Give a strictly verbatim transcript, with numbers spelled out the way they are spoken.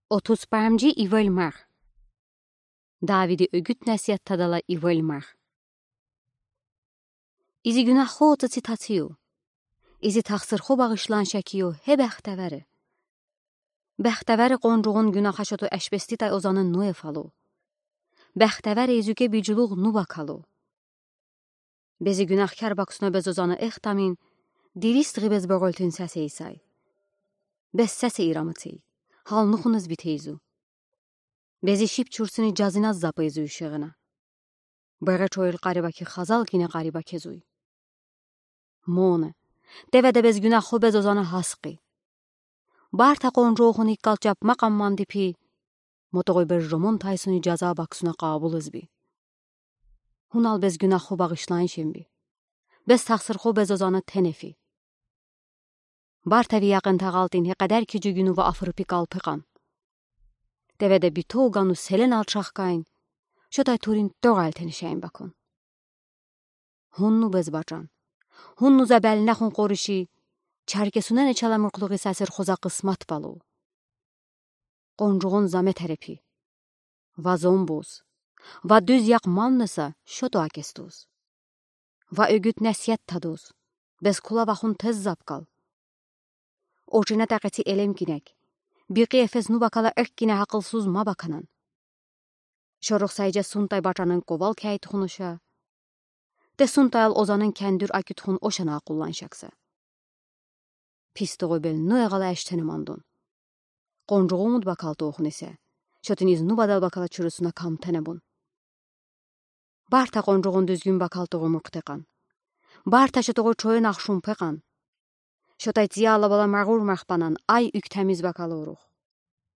Отуз памжи ивель марх. Давиди угуд-насигьат тадала ивель марх. Изи гюнаххо цеци тацийу. Изи тахсырхо багъишлан шекийу, гье бехтевери. Бехтевери къонжугъун гюнахаш оту эшбестидай озаны ну ефалу. Бехтевери изюке бижлугъ ну бакалу. Бези гюнахкар баксуна без озаны эхтамин, дирис гъи без богъалтын сес эйсай. Без сес эйраматый, гьал нухунуз битейзу. Бези шип чурсуни жазиназ запейзуй шигъина. Бере чойил къариба ки хазал гине къариба кезуй. Моне, деведе без гюнаххо без озаны гьаскъи. Барта къонжуухун иккал чапма къамманди пи, мотогъуй без жомон тайсуни жаза баксуна къабулуз би. Гьунал без гюнаххо багъишлан шин би. Без тахсырхо без озаны тенефи. Барта ви якъин тагъалтин гье къедер ки жугюню ва африпи калпи къан. Деведе битогану селен алчахкайн, шотай турин тогъал тенишейин бакун. Гьунну без бачан. Гьунну за бел нахун къориши, чаркесунене чала муркълугъи сасир хоза къысмат балу. Къонжугъун за метерепи. Ва зомбуз. Ва дуьз якъман неса, шота акестуз. Ва угуд-насигьат тадуз. Без кула вахун тез запкал. Очина такъеци элем кинек. Бикъи эфес ну бакала эккине гьакъылсуз ма баканан. Шорох сайжа сунтай бачанын ковал кяй тухун оша. Те сунтаял озанын кяндур акютхун ошана къулланшакса. Пис тогъуй бел ну эгъала эштене мандун. Къонжугъу умуд бакал тухун исе, шотын из ну бадал бакала чурусуна кам тенебун. Барта къонжугъун дуьзгюн бакал тогъуй муркъте къан. Барта шо тогъуй чойын ахшун пе къан. Шотай цияла бала магъур махпанан ай уьктемиз бакала урух.